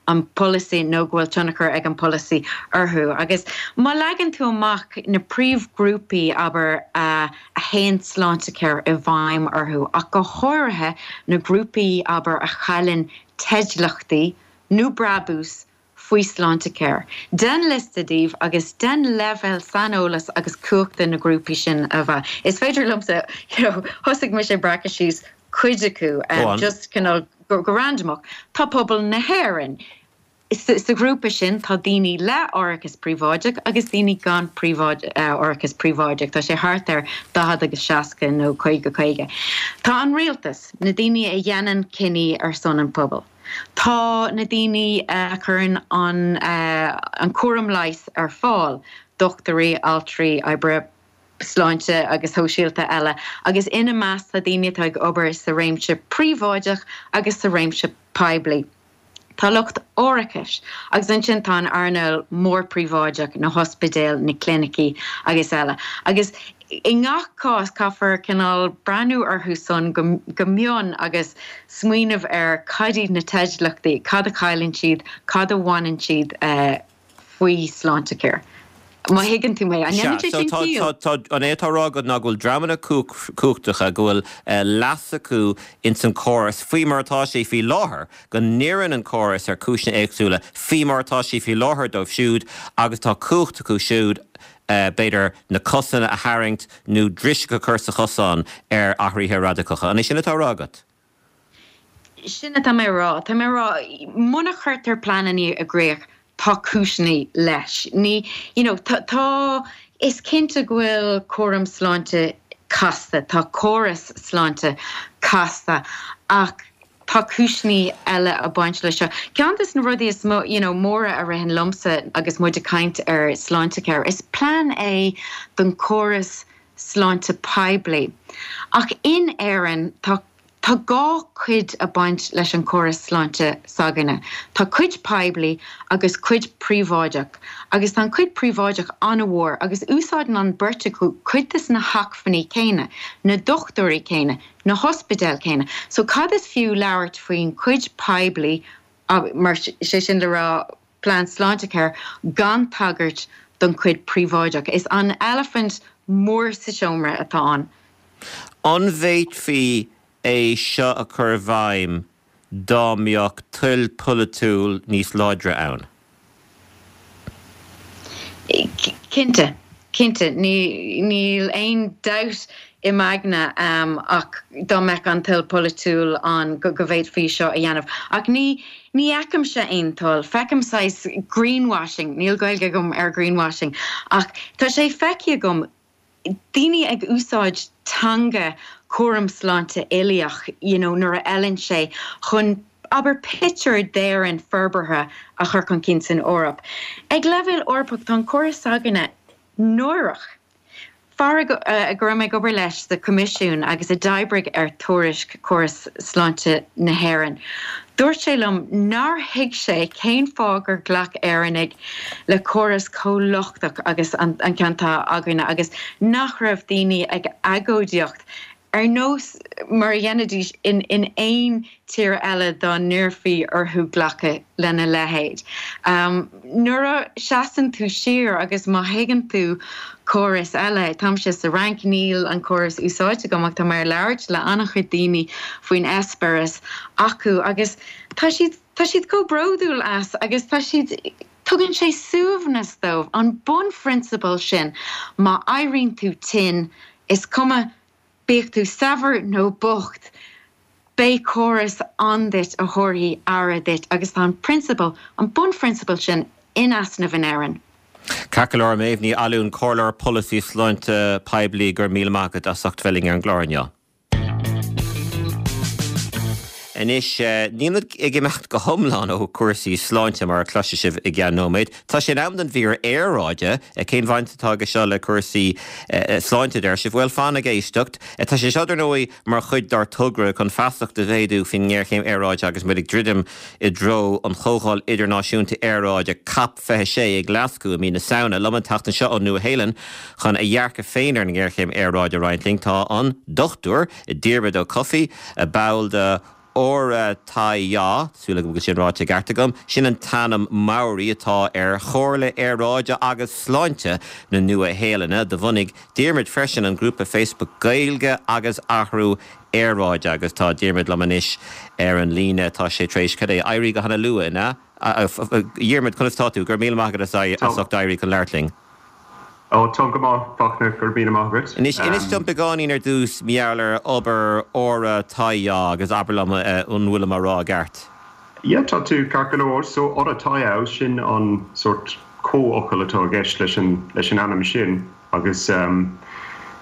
an bpolasaí nó go bhfuil tionchar ag an bpolasaí orthu. Agus má leagann tú amach na príomhghrúpaí, abair, a a théann Sláintecare i bhfeidhm orthu, ach go háirithe na grúpaí, abair, a chailleann teidliochtaí nó brabús faoi Sláintecare. Déan liosta díobh agus déan leibhéal saineolais agus cumhachta na grúpaí sin a mheas. Is féidir liomsa, you know, thosaigh mise ag breacadh síos cuid acu, just cineál go randamach. Tá pobal na hÉireann. Sa ghrúpa sin tá daoine le árachas príobháideach agus daoine gan árachas príobháideach. Tá sé thart ar 40 agus 60 nó 50 50. Tá an rialtas, na daoine a dhéanann cinní ar son an phobail. Tá na daoine a chuireann an cúram leighis ar fáil, dochtúirí, altraí, oibrithe sláinte agus shóisialta eile, agus ina measc tá daoine atá ag obair sa réimse príobháideach agus sa réimse poiblí. Tá lucht árachais, agus ansin tá an earnáil mhór príobháideach, na hospidéil, na clinicí agus eile. Agus i ngach cás caithfear cineál breathnú orthu san go mion agus smaoineamh ar cad iad na teidliochtaí, cad a chailleann siad, cad a bhaineann siad. faoi Sláintecare. Má thuigeann tú mé. An ndéanann sé sin ciall? Sea, so tá, an é atá á rá agat ná go bhfuil dreamanna cumhachtacha, go bhfuil leas acu ins an córas faoi mar atá sé faoi láthair, go n-oireann an córas ar chúiseanna éagsúla faoi mar atá sé faoi láthair dóibh siúd agus tá cumhacht acu siúd b'fhéidir na cosanna a tharraingt nó driseach a chur sa chosán ar athruithe radacacha. An é sin atá á rá agat? Sin atá mé a rá. Tá mé a rá, muna chuirtear pleananna i gcrích, tá cúiseanna leis. Ní, you know, tá, tá, is cinnte go bhfuil cúram sláinte casta, tá córas sláinte casta ach tá cúiseanna eile ag baint leis seo. Ceann de na rudaí is mó, you know, móra a ritheann liomsa agus muid ag caint ar Sláintecare, is plean é don chóras sláinte poiblí. Ach in Éirinn, tá. Tá dhá chuid ag baint leis an chóras sláinte s'againne. Tá cuid poiblí agus cuid príobháideach agus tá an chuid príobháideach an-mhór agus úsáideann an beirt acu cuid des na hacmhainní céanna, na dochtúirí céanna, na hospidéil céanna. So cad is fiú labhairt faoin chuid poiblí, mar sé sin le rá plean Sláintecare, gan tagairt don chuid príobháideach? Is an eilifint mór sa seomra atá ann. An bhféadfaí é seo a chur i bhfeidhm dá mbeadh toil pholaitiúil níos láidre ann? Cinnte, cinnte. Níl aon dabht i m'aigne ach dá mbeadh an toil pholaitiúil ann go bhféadfaí seo a dhéanamh. Ach ní ní fheicimse aon toil. Feicim saghas greenwashing, níl Gaeilge agam ar greenwashing, ach tá sé feicthe agam daoine ag úsáid teanga cúram sláinte uilíoch you know nuair a fheileann sé chun abair pictiúr d'Éirinn forbartha a chur chun cinn san Eoraip. Ag leibhéal Eorpach tá an córas s'againne náireach. Fear go raibh mé ag obair leis sa Choimisiún agus a d'oibrigh ar tuairisc córas sláinte na hÉireann, Dúirt sé liom nár thuig sé cén fáth gur ghlac Éireannaigh le córas chomh lochtach agus an ceann atá againne agus nach raibh daoine ag agóidíocht ar nós mar a dhéanfaidís in aon tír eile dá n-iarrfaí orthu glacadh lena leithéid. Nuair a seasann tú siar agus má thuigeann tú córas eile, táimse sa Fhrainc, níl an córas úsáidte agam ach tá mé ag labhairt le an-chuid daoine faoin eispéireas acu agus tá siad, tá siad chomh bródúil as agus tá siad, tugann sé suaimhneas dóibh, an bunphrionsabal sin, má éiríonn tú tinn, is cuma Bíodh tú saibhir nó bocht, beidh córas ann duit a thabharfaidh aire duit agus tá an prionsabal, an bunphrionsabal sin in easnamh in Éirinn. Ceart go leor, Méabh Ní Fhallúin, Comhairleoir Polasaí Sláinte Poiblí, go raibh míle maith agat as ucht bheith linn ar an gclár inniu. Anois, nílimid ag imeacht go hiomlán ó chúrsaí sláinte, mar a chloisfidh sibh i gceann nóiméad. Tá sé in am don mhír aeráide. Cén bhaint atá aige seo le cúrsaí sláinte, a deir sibh? Bhuel, fan ag éisteacht. Tá sé seo, dar ndóigh, mar chuid dár togra chun feasacht a mhéadú faoin ngéarchéim aeráide agus muid ag druidim i dtreo an Chomhdháil Idirnáisiúnta Aeráide, Cop 26, i nGlaschú i mí na Samhna. Liom an tseachtain seo ón Nua-Shéalainn chun a dhearcadh féin ar an ngéarchéim aeráide a roinnt linn tá an Dr Diarmuid Ó Cofaigh, ball de Ora Taiao, súil agam go bhfuil sin ráite i gceart agam, sin an t-ainm Maori atá ar Chomhairle Aeráide agus Sláinte na Nua-Shéalainne. Do bhunaigh Diarmuid freisin an grúpa Facebook Gaeilge agus Athrú Aeráide agus tá Diarmuid liom anois ar an líne. Tá sé tar éis, cad é, éirí go hana luath, an ea? A Dhiarmuid, conas tá tú? Go raibh míle maith agat as ucht éirí chun labhairt linn. Ó, táim go maith, Fachtna, go raibh míle maith agat. Anois, inis dom beagáinín ar dtús mar gheall ar obair Ora Taiao agus abair liom an bhfuilim á rá i gceart. Yeah, tá tú ceart go leor. So, Ora Taiao, sin an sórt comhfhocal atá i gceist leis an, leis an ainm sin agus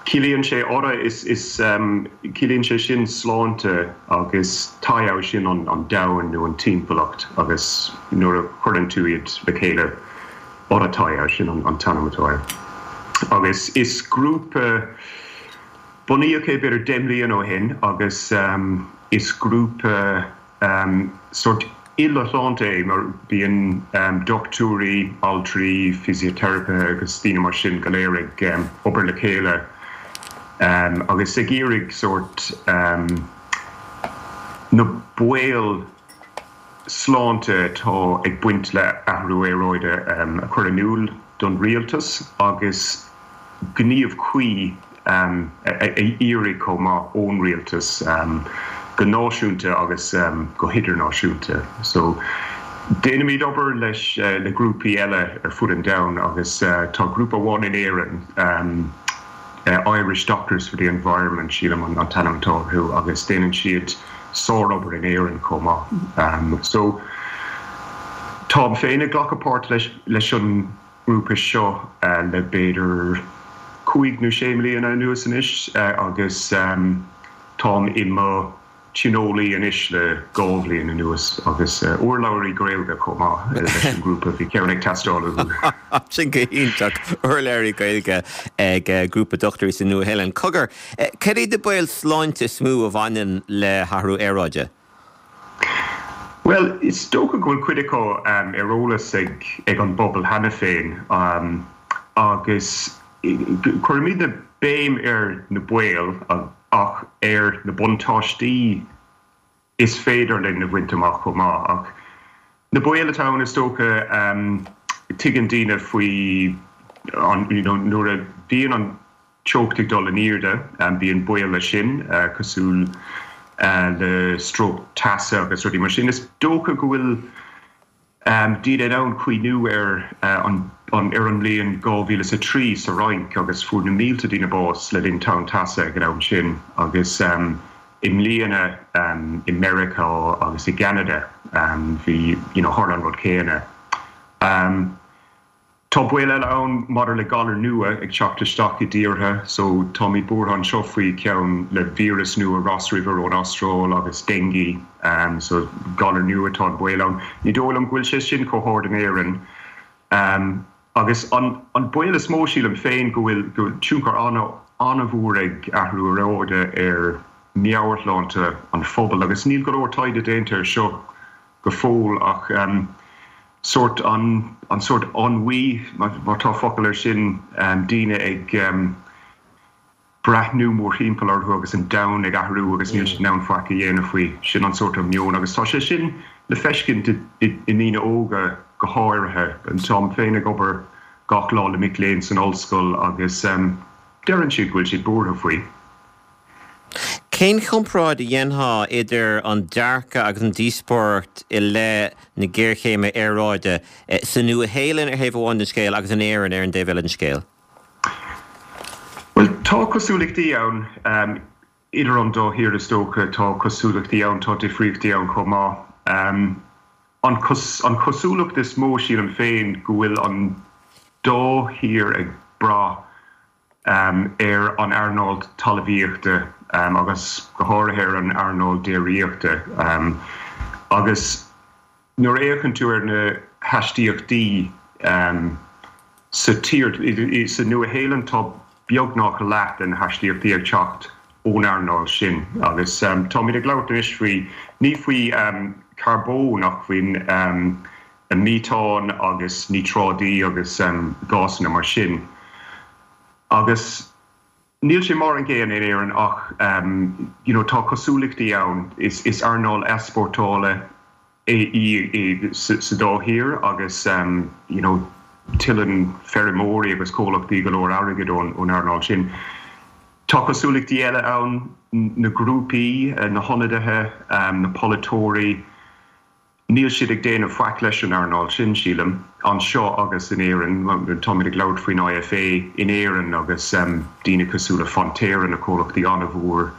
ciallaíonn sé Ora, is, is, ciallaíonn sé sin sláinte agus Taiao sin an, an domhan nó an timpeallacht agus nuair a chuireann tú iad le chéile, Ora Taiao, sin an t-ainm atá air. Agus is grúpa, bunaíodh é b'fhéidir 10 mbliana ó shin agus is grúpa sórt uile-shláinte é mar bíonn dochtúirí, altraí, fisiteiripithe agus daoine mar sin go léir ag obair le chéile agus ag iarraidh sórt na baoil sláinte atá ag baint le athrú aeráide a chur in iúl don rialtas agus gníomh cuí a iarraidh chomh maith ón rialtas go náisiúnta agus go hidirnáisiúnta. So déanaimid obair leis le grúpaí eile ar fud an domhain agus tá grúpa amháin in Éirinn, Irish Doctors for the Environment sílim an t-ainm atá orthu agus déanann siad sárobair in Éirinn chomh maith. So táim féin ag glacadh páirt leis leis an ngrúpa seo le b'fhéidir cúig nó sé mbliana anuas anois agus táim i mo. tionólaí anois le 2 bhliain anuas agus urlabhraí Gaeilge chomh maith leis an ngrúpa, bhí ceann ag teastáil uathu. Sin go hiontach, urlabhraí Gaeilge ag grúpa dochtúirí sa Nua-Shéalainn. Cogar, cad iad na baoil sláinte is mó a bhaineann le hathrú aeráide? Bhuel, is dócha go bhfuil cuid acu ar eolas ag an bpobal cheana féin agus cuirimidne béim ar na baoil ach ar na buntáistí is féidir linn a bhaint amach chomh maith. Ach na baoil atá ann is dócha, tuigeann daoine faoi you know nuair a bhíonn an teocht ag dul in airde, bíonn baol leis sin, cosúil le stróc teasa agus rudaí mar sin. Is dócha go bhfuil daoine in ann cuimhniú ar an ar an mbliain 2003 sa Fhrainc agus fuair na mílte daoine bás le linn tonn teasa ag an am sin agus i mbliana i Meiriceá agus i gCeanada bhí you know tharla an rud céanna. Tá baol eile ann maidir le galair nua ag teacht isteach i dtíortha so táimid buartha anseo faoi cheann le víreas nua Ross River ón Astráil agus dengue so galar nua tá an baol ann. Ní dóigh liom go bhfuil sé sin chomh hard in Éirinn. Agus an an baol is mó sílim féin go bhfuil go bhfuil tionchar an-mhór ag athrú aeráide ar meabhairshláinte an phobail agus níl go leor taighde déanta ar seo go fóill ach sórt an an sórt ennui, má tá focal air sin, daoine ag breathnú mórthimpeall orthu agus an domhan ag athrú agus níl siad in ann faic a dhéanamh faoi. Sin an sórt meon agus tá sé sin le feiscint i ndaoine óga go háirithe. Táim féin ag obair gach lá le mic léinn san ollscoil agus deireann siad go bhfuil siad buartha faoi. Cén chomparáid a dhéanfá idir an dearcadh agus an díospóireacht i leith na géarchéime aeráide sa Nua-Shéalainn ar thaobh amháin den scéal agus in Éirinn ar an dtaobh eile den scéal? Bhuel, tá cosúlachtaí ann idir an dá thír is dócha. Tá cosúlachtaí ann, tá difríochtaí ann chomh maith. An chosúlacht is mó, sílim féin, go bhfuil an dá thír ag brath ar an earnáil talmhaíochta agus go háirithe ar an earnáil déiríochta. Agus nuair a fhéachann tú ar na haistíochtaí sa tír, sa Nua-Shéalainn tá beagnach leath de na haistíochtaí ag teacht ón earnáil sin. Agus táimid ag labhairt anois faoi, ní faoi charbón ach faoin meatán agus níotráidí agus gásanna mar sin. Agus níl sé mar an gcéanna in Éirinn ach you know tá cosúlachtaí ann. Is is earnáil easpórtála í sa dá thír agus you know tuilleann feirmeoirí agus comhlachtaí go leor airgid ón ón earnáil sin. Tá cosúlachtaí eile ann, na grúpaí, na hionadaithe, na polaiteoirí. Níl siad ag déanamh faic leis an earnáil sin, sílim, anseo agus in Éirinn. Táimid ag labhairt faoin IFA in Éirinn agus daoine cosúil le Fonterra, na comhlachtaí an-mhór,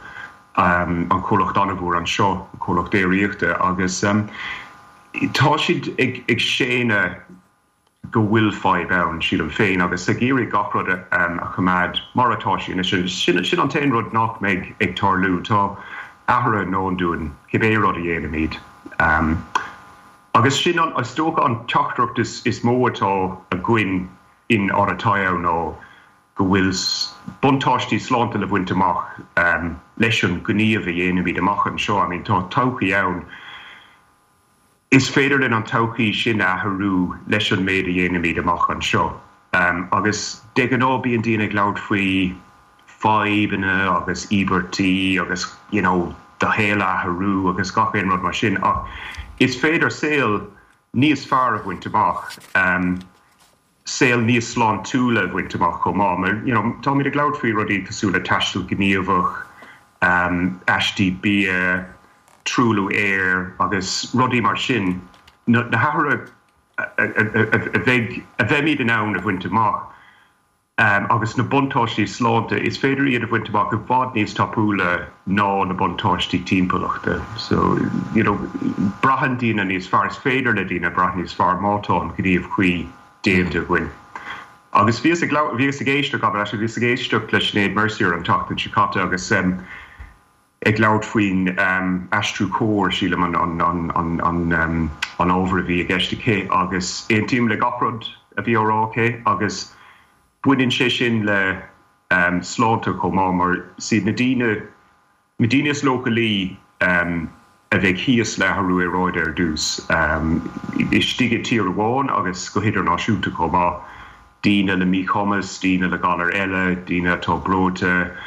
an comhlacht an-mhór anseo, an comhlacht déiríochta, agus tá siad ag séanadh go bhfuil fadhb ann, sílim féin, agus ag iarraidh gach rud a choimeád mar atá sé anois. Sin an t-aon rud nach mbeidh ag tarlú. Tá athruithe i ndán dúinn, cibé rud a dhéanaimid. Agus sin, is dócha, an teachtaireacht is mó atá againn in Ara Taiao ná go bhfuil buntáistí sláinte le baint amach leis an ngníomh a dhéanaimid amach anseo. I mean, tá todhchaí ann. Is féidir linn an todhchaí sin a athrú leis an méid a dhéanaimid amach anseo. Agus de ghnáth bíonn daoine ag labhairt faoi fadhbanna agus íobairtí agus you know do shaol a athrú agus gach aon rud mar sin ach is féidir saol níos fearr a bhaint amach. saol níos sláintiúla a bhaint amach chomh maith. Mar, you know, táimid ag labhairt faoi rudaí cosúil le taisteal gníomhach, aistí bia, truailliú aeir agus rudaí mar sin, na hathruithe a bheidh, a bheimid in ann a bhaint amach agus na buntáistí sláinte, is féidir iad a bhaint amach i bhfad níos tapúla ná na buntáistí timpeallachta. So, you know, braitheann daoine níos fearr, is féidir le daoine brath níos fearr má tá an gníomh cuí déanta againn. Agus bhíos ag labhairt, bhíos ag éisteacht, gabh mo leithscéal, bhíos ag éisteacht le Sinéad Mercier an tseachtain seo caite agus. Ag labhairt faoin aistriú cóir, sílim, an ábhar a bhí i gceist aici agus aontaím le gach rud a bhí á rá aici agus baineann sé sin le sláinte chomh maith mar is iad na daoine, na daoine is leochailí a bheidh thíos le athrú aeráide ar dtús, istigh i tír amháin agus go hidirnáisiúnta chomh maith, daoine le míchumas, daoine le galair eile, daoine atá breoite.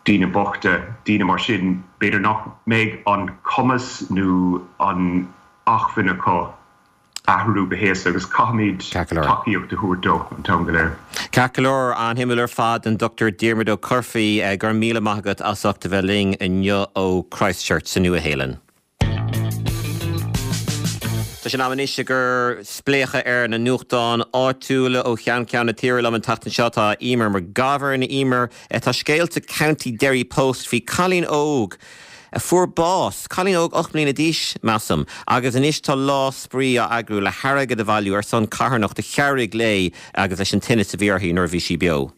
daoine bochta, daoine mar sin, b'fhéidir nach mbeidh an cumas nó an acmhainn acu athrú go héasca agus caithfimid tacaíocht a thabhairt dóibh an t-am go léir. Ceart go leor, an-shuimiúil ar fad, an Dr Diarmuid Ó Coirfí, go raibh míle maith agat as ucht a bheith linn inniu ó Christchurch sa Nua-Shéalainn. Tá sé in am anois ag cur spléachadh ar na nuachtáin áitiúla ó cheann ceann na tíre. Liom an tseachtain seo tá Eimear McGovern. Eimear, tá scéal sa County Derry Post faoi cailín óg a fuair bás, cailín óg 8 mbliana d'aois, measaim, agus anois tá lá spraoi á eagrú le hairgead a bhailiú ar son carthanacht a chabhraigh léi agus leis an tinneas a bhí uirthi nuair a bhí sí beo.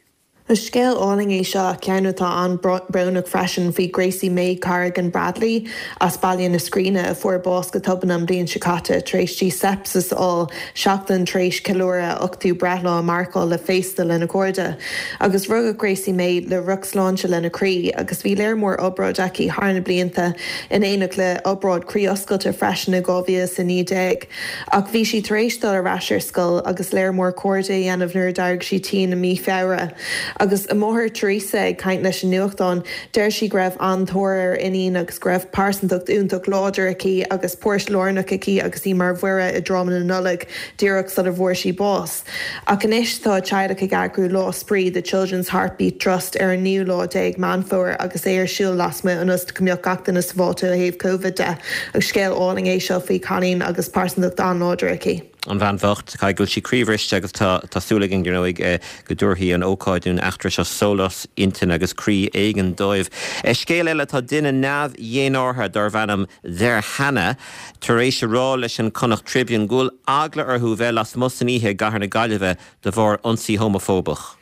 Is scéal álainn é seo, ceann atá an-bhrónach freisin, faoi Gracie Mae Corrigan Bradley as Baile na Scríne a fuair bás go tobann an bhliain seo caite tar éis di sepsis a fháil seachtain tar éis ceiliúradh a ochtú breithlá a mharcáil le féasta lena cairde. Agus rugadh Gracie Mae le drochshláinte lena croí agus bhí léar mór obráid aici thar na blianta in éineacht le obráid croí oscailte freisin i 2019. Ach bhí sí tar éis dul ar ais ar scoil agus léar mór cairde a dhéanamh nuair a d'éirigh sí tinn i mí Feabhra. Agus a máthair Teresa ag caint leis an nuachtán, deir sí go raibh an-tóir ar a iníon agus go raibh pearsantacht iontach láidir aici agus páirt lárnach aici agus í mar Mhuire i dráma na Nollag díreach sula bhfuair sí bás. Ach anois tá a teaghlach ag eagrú Lá Spraoi The Children's Heartbeat Trust ar an naoú lá déag Meán Fómhair agus é ar siúl lasmuigh ionas go mbeadh gach duine sábháilte ó thaobh Covid de. Agus scéal álainn é seo faoi chailín agus pearsantacht an-láidir aici. An bhean bhocht, caithfidh go bhfuil sí croíbhriste agus tá tá súil againn, dar ndóigh, go dtabharfaidh an ócáid nó an eachtra seo sólás intinne agus croí éigin dóibh. Scéal eile, tá duine neamh-dhénártha darbh ainm Zerhana tar éis a rá leis an Connacht Tribune go bhfuil eagla orthu bheith lasmuigh san oíche i gcathair na Gaillimhe de bharr ionsaí homafóbach.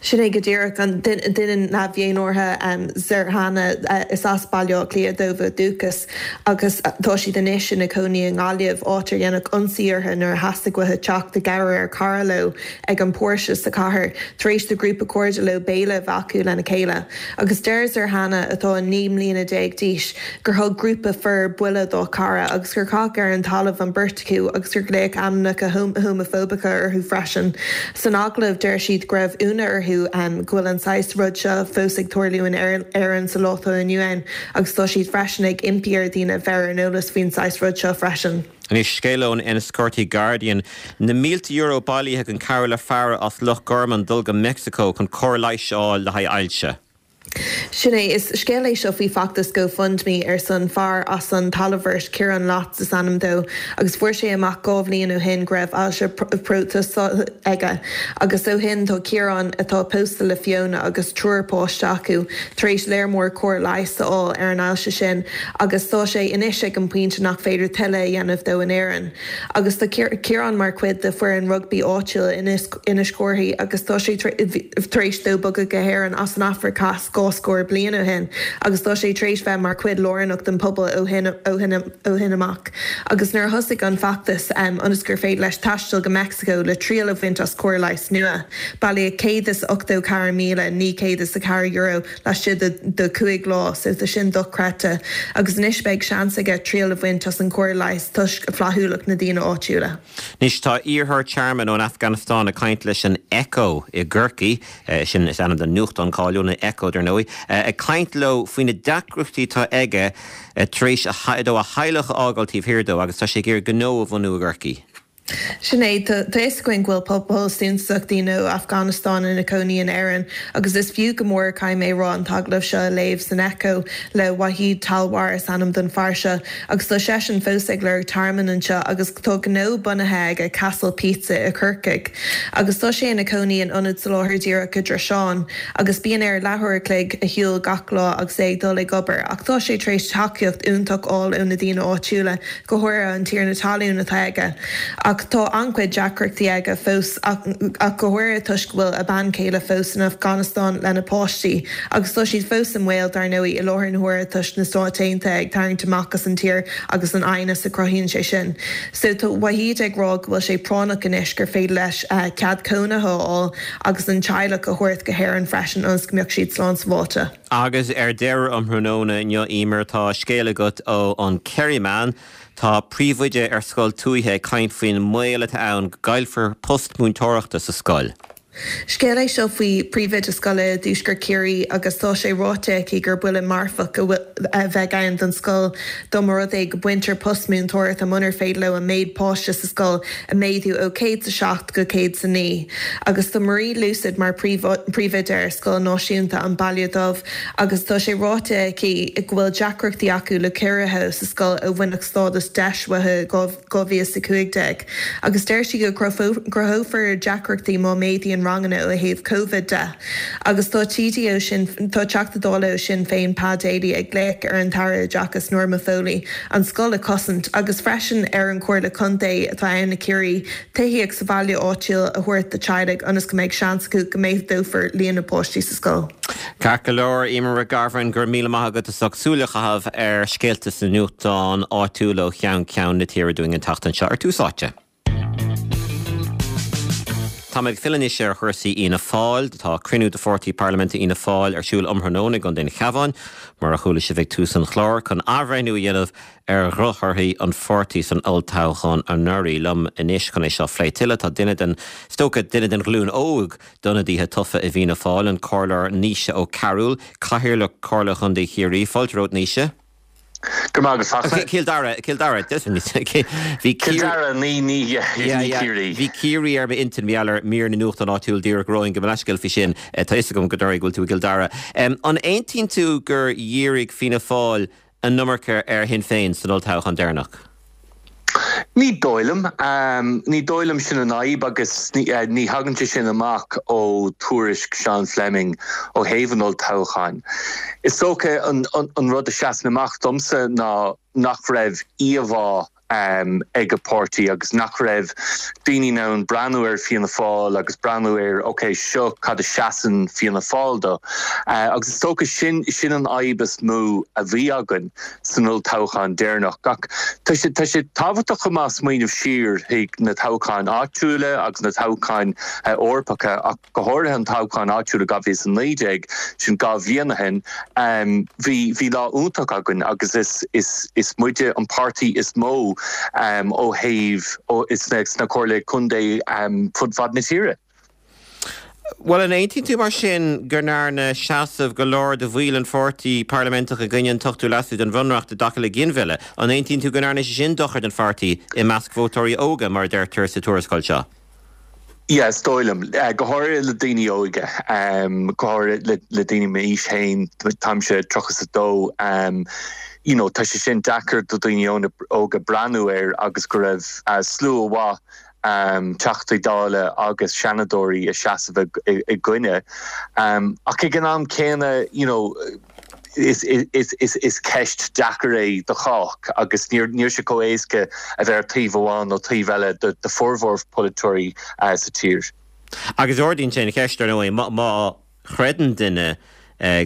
Sin é go díreach an duine neamh-dhénártha Zerhana. Is as Baile Átha Cliath dóibh ó dhúchas agus tá siad anois ina cónaí i nGaillimh, áit ar deineadh ionsaí orthu nuair a theastaigh uathu teacht i gcabhair ar chara leo ag an bpóirse sa chathair tar éis do ghrúpa cairde leo béile a bheith acu lena chéile. Agus deir Zerhana, atá 19 mbliana d'aois, gur thug grúpa fir buille dá cara agus gur caitheadh ar an talamh an bheirt acu agus gur glaodh ainmneacha homafóbacha orthu freisin. San agallamh, deir siad go raibh ionadh orthu go bhfuil an saghas rud seo fós ag tarlú in Éirinn sa lá atá inniu ann agus tá siad freisin ag impí ar dhaoine bheith ar an eolas faoin saghas rud seo freisin. Anois, scéal ón Enniscorthy Guardian, na mílte euro bailithe chun cabhrú le fear as Loch Garman dul go Meicsiceo chun cóir leighis a fháil le haghaidh ailse. Sin é. Is scéal é seo faoi feachtas GoFundMe ar son fear as an Talamhbhirt, Ciarán Latz is ainm dó, agus fuair sé amach 2 bhliain ó shin go raibh ailse próstaite aige. Agus ó shin tá Ciarán, atá pósta le Fiona agus triúr páiste acu, tar éis léar mór cóir leighis a fháil ar an ailse sin agus tá sé anois ag an bpointe nach féidir tuilleadh a dhéanamh dó in Éirinn. Agus tá Ciarán mar chuid de foireann rugbaí áitiúil in Inis Córthaidh agus tá sé tar éis dó bogadh go hÉirinn as an Afraic Theas dhá scór bliain ó shin agus tá sé tar éis bheith mar chuid lárnach den pobal ó shin amach. Agus nuair a thosaigh an feachtas ionas gur féidir leis taisteal go Meicsiceo le triail a bhaint as cóir leighis nua, bailíodh €184,904 laistigh de chúig lá, so tá sin dochreidte. Agus anois beidh seans aige triail a bhaint as an chóir leighis toisc flaithiúlacht na daoine áitiúla. Anois tá iarrthóir tearmainn ón Afganastáin ag caint leis an Echo i gCorcaigh, sin is ainm don nuachtán cáiliúil, an Echo, dar ndóigh, ag caint leo faoi na deacrachtaí atá aige tar éis dó a theaghlach a fhágáil taobh thiar dó agus tá sé ag iarraidh gnó a bhunú i gCorcaigh. Sin é, tá fhios againn go bhfuil pobal suntasach daoine ó Afganastáin ina cónaí in Éirinn agus is fiú go mór, caithfidh mé a rá, an t-agallamh seo a léamh san Echo le Wahid Talwar is ainm don fear seo agus tá seisean fós ag lorg tearmainn anseo agus tá gnó bunaithe aige, Castle Pizza i Corcaigh agus tá sé ina cónaí in ionad soláthair díreach i dTroiseán agus bíonn air leathuair a chloig a shiúl gach lá agus é ag dul ag obair ach tá sé tar éis tacaíocht iontach fháil ó na daoine áitiúla. go háirithe an tiarna talún atá aige. Ach tá. an-chuid deacrachtaí aige fós ach go háirithe toisc go bhfuil a bean chéile fós san Afganastáin lena páistí agus tá siad fós i mbaol, dar ndóigh, i láthair na huaire toisc na Stáit Aontaithe ag tarraingt amach as an tír agus an aighneas a chruthaíonn sé sin. So tá Wahid ag rá go bhfuil sé práinneach anois gur féidir leis cead cónaithe a fháil agus an teaghlach a thabhairt go hÉirinn freisin ionas go mbeadh siad slán sábháilte. Agus ar deireadh um thráthnóna inniu, Emer, tá scéal agat ó an Kerryman. Tá príomhoide ar scoil tuaithe ag caint faoin mbaol atá ann go gcaillfear post múinteoireachta sa scoil. Scéal é seo faoi phríomhoide scoile i dtuaisceart Chiarraí agus tá sé ráite aici gur buille marfach a bheidh ann don scoil dá mba rud é go baintear post múinteoireachta munar féidir leo an méid páiste sa scoil a mhéadú ó 107 go 109. Agus tá Marie Lucid mar phríomhoide ar Scoil Náisiúnta an Baile Dubh agus tá sé ráite aici go bhfuil deacrachtaí acu le ciorruithe sa scoil ó bhaineadh stádas deis uathu i 2015 agus deir sí go gcruthófar deacrachtaí má méadaíonn ranganna ó thaobh Covid de. Agus tá TD ó Sinn, tá Teachta Dála ó Sinn Féin Pa Daly ag glaoch ar an tAire Oideachais Norma Foley an scoil a chosaint agus freisin ar an Chomhairle Contae atá ann i Ciarraí tithíocht sa bhaile áitiúil a thabhairt do teaghlaigh ionas go mbeidh seans acu go méadófar líon na bpáistí sa scoil. Ceart go leor, Emer Mhic Garbháin, go raibh míle maith agat as ucht súil a chaitheamh ar scéalta sna nuachtáin áitiúla ó cheann ceann na tíre dúinn an tseachtain seo ar Tús Áite. Táimid ag filleadh anois ar chúrsaí Fhianna Fáil. Tá cruinniú de pháirtí parlaiminte Fhianna Fáil ar siúl um thráthnóna i gContae an Chabháin, mar a chuala sibh ag tús an chláir, chun athbhreithniú a dhéanamh ar dhrochthorthaí an pháirtí san olltoghchán anuraidh. Liom anois chun é seo a phlé tuilleadh tá duine den, is dócha, duine den ghlúin óg d'ionadaithe tofa i bhFianna Fáil, an Comhairleoir Naoise Ó Cearúil, Cathaoirleach Chomhairle Chontae Chiarraí. Fáilte romhat, Naoise. Go raibh maith agat, Fachtna. Cill Dara, Cill Dara, bhí Cill Dara, ní, ní, ní Ciarraí. Bhí Ciarraí ar m'intinn, mar gheall ar mhír na nuachtán áitiúil díreach romhainn, gabh mo leithscéal faoi sin. Tá fhios agam go dearfa go bhfuil tú i gCill Dara. An aontaíonn tú gur dhírigh Fianna Fáil an iomarca ar Shinn Féin san olltoghchán deireanach? Ní dóigh liom. Ní dóigh liom sin an fhadhb agus ní thagann sé sin amach ó tuairisc Sean Fleming ó thaobh an olltoghcháin. Is dócha an rud a seasann amach domsa ná nach raibh íomhá ag an bpáirtí agus nach raibh daoine in ann breathnú ar Fianna Fáil agus breathnú ar ok seo cad a seasann Fianna Fáil do. Agus is dócha sin sin an fhadhb is mó a bhí againn san olltoghchán deireanach. Ach tá sé tá sé tábhachtach chomh maith smaoineamh siar chuig na toghcháin áitiúla agus na toghcháin Eorpacha ach go háirithe an toghchán áitiúil i 2019, sin 2 bhliain ó shin, bhí bhí lá iontach againn agus is is is muide an páirtí is mó ó thaobh ó sna sna comhairle contae fud fad na tíre. Bhuel, an aontaíonn tú mar sin go ndearna seasamh go leor de bhaill an pháirtí parlaiminteach i gcoinne an t-ochtú leasú den Bhunreacht i dtaca le ginmhilleadh, an aontaíonn tú go ndearna sé sin dochar don pháirtí i measc vótóirí óga, mar a deirtear sa tuarascáil seo? Yeah, is dóigh liom. Go háirithe le daoine óga, go háirithe le daoine m'aois féin, táimse 32, you know, tá sé sin deacair do daoine óga breathnú air agus go raibh slua mhaith Teachtaí Dála agus Seanadóirí ag seasamh i gcoinne. Ach ag an am céanna, you know, Is ceist deacair é do chách agus níl sé chomh éasca a bheith ar taobh amháin nó taobh eile do formhór polaiteoirí sa tír. Agus ardaíonn sé an cheist, ar ndóigh, má chreideann duine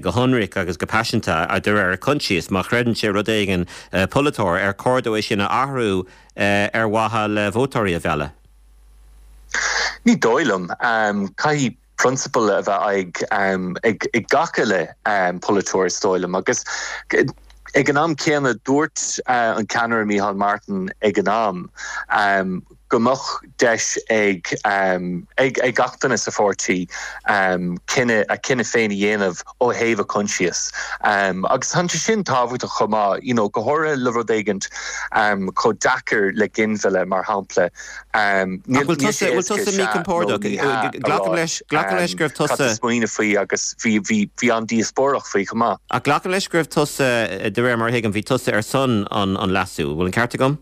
go hionraic agus go paiseanta, de réir a choinsias, má chreideann sé rud éigin, polaiteoir, ar chóir dó é sin a athrú ar mhaithe le vótóirí a mhealladh? Ní dóigh liom. Caithfidh prionsabail a bheith ag ag gach uile polaiteoir is dóigh liom agus ag an am céanna dúirt an ceannaire Micheál Martin ag an am go mbeadh deis ag ag ag gach duine sa pháirtí cinneadh a cinneadh féin a dhéanamh ó thaobh a coinsias agus tá sé sin tábhachtach chomh maith you know go háirithe le rud éigint chomh deacair le ginmhilleadh mar shampla Níl bhfuil tusa, bhfuil tusa míchompordach? Glacaim leis, glacaim leis go raibh tusa. Cad a smaoineamh faoi agus bhí, bhí, bhí an-díospóireacht faoi chomh maith. Ach glacaim leis go raibh tusa, de réir mar a thuigim, bhí tusa ar son an, an leasú. Bhfuil an ceart agam?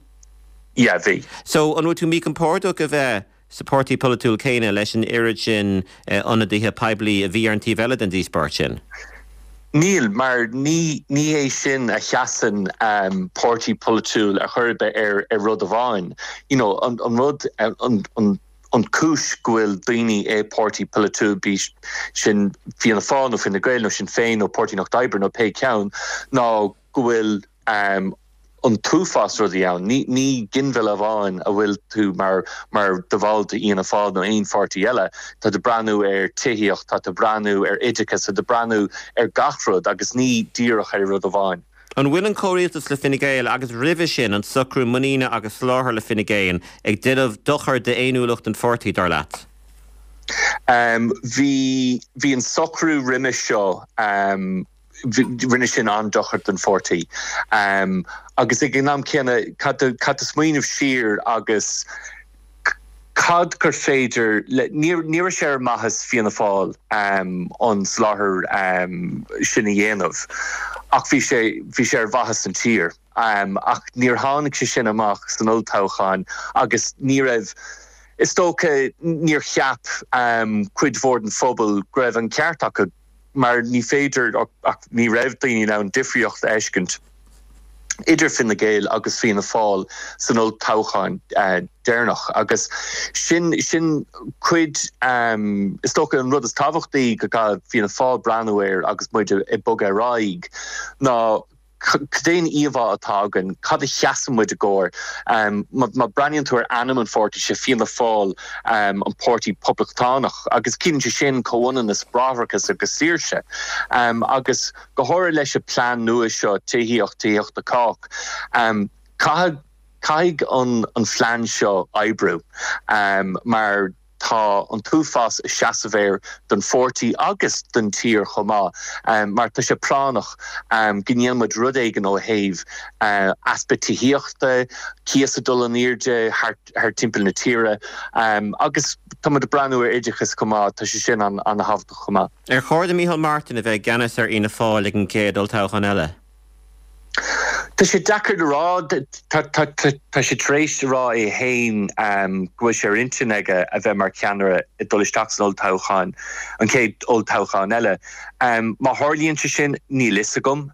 Yeah, bhí. So, an bhfuil tú míchompordach a bheith sa páirtí polaitiúil céanna leis an oiread sin ionadaithe poiblí a bhí ar an taobh eile den díospóireacht sin? Níl, mar ní ní hé sin a sheasann páirtí polaitiúil ar chor ar bith ar ar rud amháin. You know, an an rud an an an cúis go bhfuil daoine i páirtí polaitiúil, bíodh sin Fianna Fáil nó Fine Gael nó Sinn Féin nó Páirtí an Lucht Oibre nó pé ceann, ná go bhfuil an t-uafás rudaí ann. Ní ní ginmhilleadh amháin a bhfuil tú mar mar do bhall d'Fhianna Fáil nó aon pháirtí eile. Tá tú breathnú ar tithíocht, tá tú breathnú ar oideachas, tá tú breathnú ar gach rud agus ní díreach ar rud amháin. An bhfuil an comhrialtas le Fine Gael agus roimhe sin an socrú muiníne agus soláthair le Fine Gael ag déanamh dochar d'fhéiniúlacht an pháirtí, dar leat? Bhí bhí an socrú roimhe seo rinne sin an-dochar don pháirtí. Agus ag an am céanna, caithfidh tú smaoineamh siar agus cad gur féidir le, ní raibh sé ar mhaitheas Fianna Fáil an soláthar sin a dhéanamh ach bhí sé, bhí sé ar mhaitheas an tír. Ach níor tháinig sé sin amach san olltoghchán agus ní raibh, is dócha, níor cheap cuid mhór den phobal go raibh an ceart acu. mar ní féidir ach ní raibh daoine in ann difríocht a fheiscint idir Fine Gael agus Fianna Fáil san olltoghchán deireanach agus sin sin cuid is dócha an rud is tábhachtaí go gcaithfidh Fianna Fáil breathnú air agus muid ag bogadh ar aghaidh ná Cad é an íomhá atá againn? Cad a sheasann muid i gcomhair? Má breathnaíonn tú ar ainm an pháirtí, sé Fianna Fáil an páirtí poblachtánach agus ciallaíonn sé sin comhionannas, bráithreachas agus saoirse. Agus go háirithe leis an plean nua seo, Tithíocht, Tithíocht do Chách, caithfidh caithfidh an phlean seo oibriú mar Tá an t-uafás ag seasamh air don pháirtí agus don tír chomh maith mar tá sé práinneach go ndéanann muid rud éigin ó thaobh easpa tithíochta, cíos ag dul in airde thar timpeall na tíre agus tá muid ag breathnú ar oideachas chomh maith, tá sé sin an-thábhachtach chomh maith. Ar chóir do Micheál Martin a bheith i gceannas ar Fhianna Fáil ag an gcéad olltoghchán eile? Tá sé deacair le rá. Tá sé tar éis a rá é féin go bhfuil sé ar intinn aige a bheith mar cheannaire ag dul isteach san olltoghchán, an chéad olltoghchán eile. Má tharlaíonn sé sin, níl fhios agam.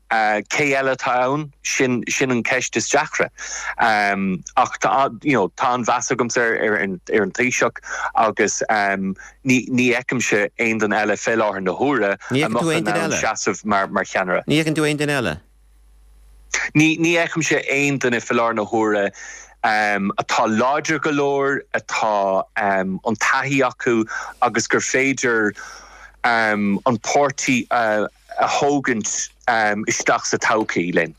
Cé eile atá ann? Sin sin an ceist is deacra. Ach tá you know tá an-mheas agamsa ar ar an Taoiseach agus ní ní fheicimse aon duine eile fé láthair na huaire a mbeadh in ann seasamh mar mar cheannaire. Ní fheiceann tú aon duine eile? Ní ní fheicimse aon duine fé láthair na huaire atá láidir go leor, atá an taithí acu agus gur féidir an páirtí a a thógaint isteach sa todhchaí linn.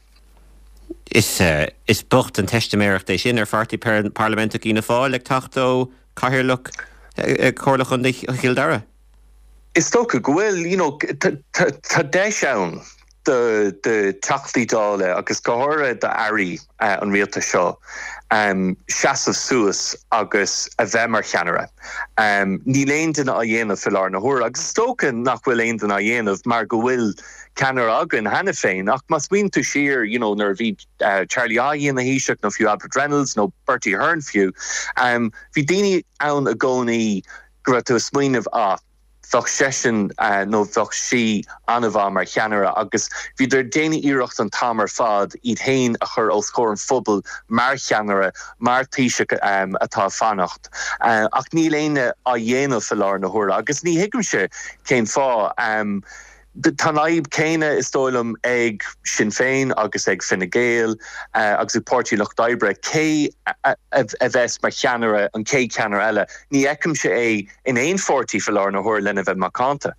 Is is bocht an teistiméireacht é sin ar pháirtí parlaiminteach Fhianna Fáil ag teacht ó Chathaoirleach Chomhairle Chontae Chill Dara. Is dócha go bhfuil, you know, tá deis ann do do Theachtaí Dála agus go háirithe d'airí an rialtais seo seasamh suas agus a bheith mar cheannaire. Níl aon duine á dhéanamh fé láthair na huaire agus is dócha nach bhfuil aon duine á dhéanamh mar go bhfuil ceannaire againn cheana féin ach má smaoiníonn tú siar, you know, nuair a bhí Charlie Haughey ina Thaoiseach nó fiú Albert Reynolds nó Bertie Ahern fiú, bhí daoine ann i gcónaí go raibh tú ag smaoineamh, ah, bheadh seisean nó bheadh sí an-mhaith mar cheannaire agus bhíodar ag déanamh iarracht an t-am ar fad iad féin a chur os comhair an phobail mar cheannaire, mar Thaoiseach atá ag fanacht. Ach níl éinne á dhéanamh fé láthair na huaire agus ní thuigimse cén fáth. Tá an fhadhb céanna, is dóigh liom, ag Sinn Féin agus ag Fine Gael agus ag Páirtí an Lucht Oibre. Cé a bheas mar cheannaire, an chéad cheannaire eile? Ní fheicimse é in aon pháirtí fé láthair na huaire lena bheith macánta.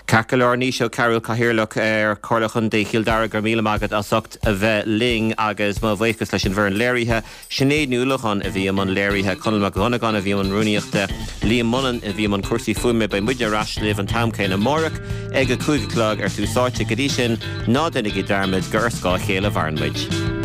Ceart go leor, Naoise Ó Cearúil, Cathaoirleach ar Chomhairle Chontae Chill Dara, go raibh míle maith agat as ucht a bheith linn agus mo bhuíochas leis an bhfoireann léirithe. Sinéad Ní Uallacháin a bhí i mbun léirithe, Conall Mac Dhonnagáin a bhí i mbun rúnaíochta, Liam Mullen a bhí i mbun cúrsaí fuaime. Beidh muidne ar ais libh an t-am céanna amárach ag a 5 a chlog ar Tús Áite. Go dtí sin, ná déanaigí dearmad gur ar scáth a chéile a mhaireann muid.